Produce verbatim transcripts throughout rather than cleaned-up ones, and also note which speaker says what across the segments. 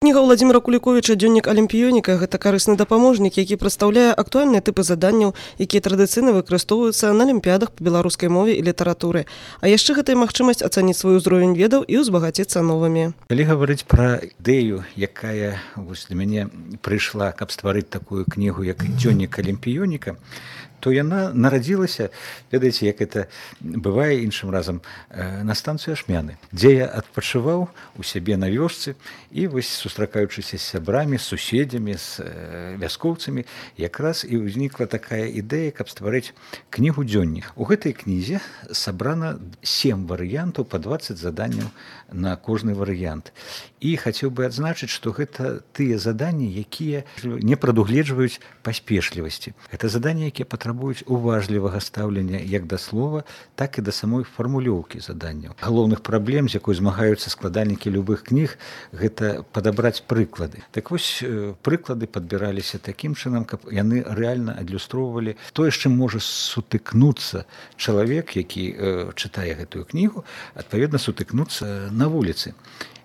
Speaker 1: Кніга Владзіміра Куліковіча «Дзённік алімпіёніка» – гэта карысны дапаможнік, які прадстаўляе актуальныя тыпы заданняў, якія традыцыйна выкарыстоўваюцца на алімпіядах па беларускай мове і літаратуры. А яшчэ гэта і магчымасць ацаніць свой узровень ведаў і ўзбагаціцца новымі.
Speaker 2: Калі гаварыць пра ідэю, якая вось для мяне прыйшла, каб стварыць такую кнігу, як «Дзённік алімпіёніка», то яна нарадзілася, ведаеце, як это бывае іншым разам, на станцыю Ашмяны, дзе я адпачываў у сябе на вёсцы і вось сустракаючыся з сябрамі, з суседзямі, з вяскоўцамі, якраз і ўзнікла такая ідэя, каб стварыць кнігу «Дзённік». У гэтай кнізе сабрана сем варыянтаў па дваццаць заданняў на кожны варыянт. І хацеў бы адзначыць, што гэта тыя заданні, якія не прадугледжваюць паспешлівасці. Гэта заданні, якія патрабуюць уважлівага стаўлення як да слова, так і да самой фармулёўкі заданняў. Галоўных праблем, з якой змагаюцца складальнікі любых кніг, гэта падабраць прыклады. Так вось, прыклады падбіраліся такім чынам, каб яны рэальна адлюстроўвалі тое, з чым можа сутыкнуцца чалавек, які э, чытае гэтую кнігу, адпаведна сутыкнуцца на вуліцы.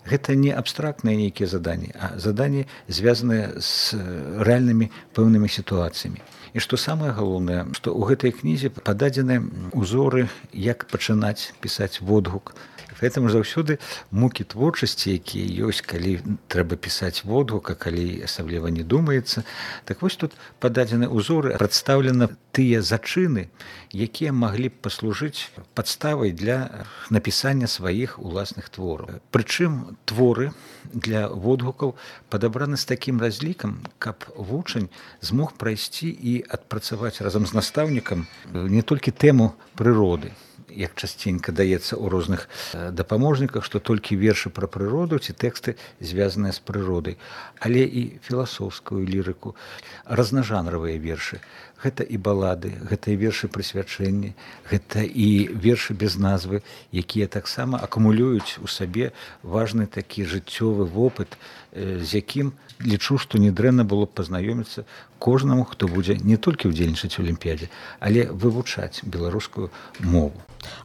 Speaker 2: Гэта не абстрактныя нейкія заданні, а заданні, звязаныя з рэальнымі пэўнымі сітуацыямі. І што самае галоўнае, што ў гэтай кнізе пададзены ўзоры, як пачынаць пісаць водгук. Гэтаму заўсёды мукі творчасці, якія ёсць, калі трэба пісаць водгук, а калі асабліва не думаецца. Так вось тут пададзены ўзоры, прадстаўлена тыя зачыны, якія маглі б паслужыць падставай для напісання сваіх уласных твораў. Прычым творы для водгукаў падабраны з такім разлікам, каб вучань змог прайсці і адпрацаваць разам з настаўнікам не толькі тэму прыроды, як часценька даецца ў розных дапаможніках, што толькі вершы пра прыроду ці тэксты, звязаныя з прыродай, але і філасофскую лірыку, разнажанравыя вершы. Гэта і балады, гэта і вершы прысвячэння, гэта і вершы без назвы, якія таксама акумулююць у сабе важны такі жыццёвы вопыт, з якім лічу, што нядрэнна было б пазнаёміцца кожнаму, хто будзе не толькі ўдзельнічаць у алімпіядзе, але вывучаць беларускую мову.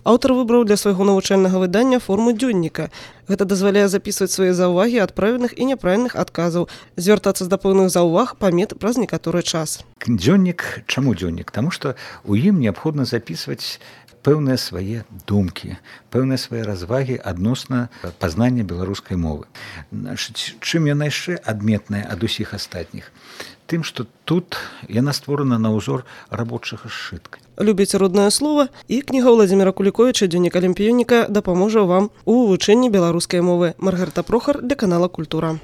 Speaker 1: Аўтар выбраў для свайго навучальнага выдання форму дзённіка. Гэта дазваляе запісваць свае заўвагі ад правільных і няправільных адказаў, звяртацца да пэўных заўваг, памет праз некаторы час.
Speaker 2: Дзённік, чаму дзённік? Таму што ў ім неабходна запісваць пэўныя свае думкі, пэўныя свае развагі адносна пазнання беларускай мовы. Чым яна яшчэ адметная ад усіх астатніх? Тым, што тут яна створана на ўзор рабочага сшытка.
Speaker 1: Любіце роднае слова, і кніга Владзіміра Куліковіча «Дзённік алімпіёніка» дапаможа вам у вывучэнні беларускай мовы. Маргарыта Прохар для канала «Культура».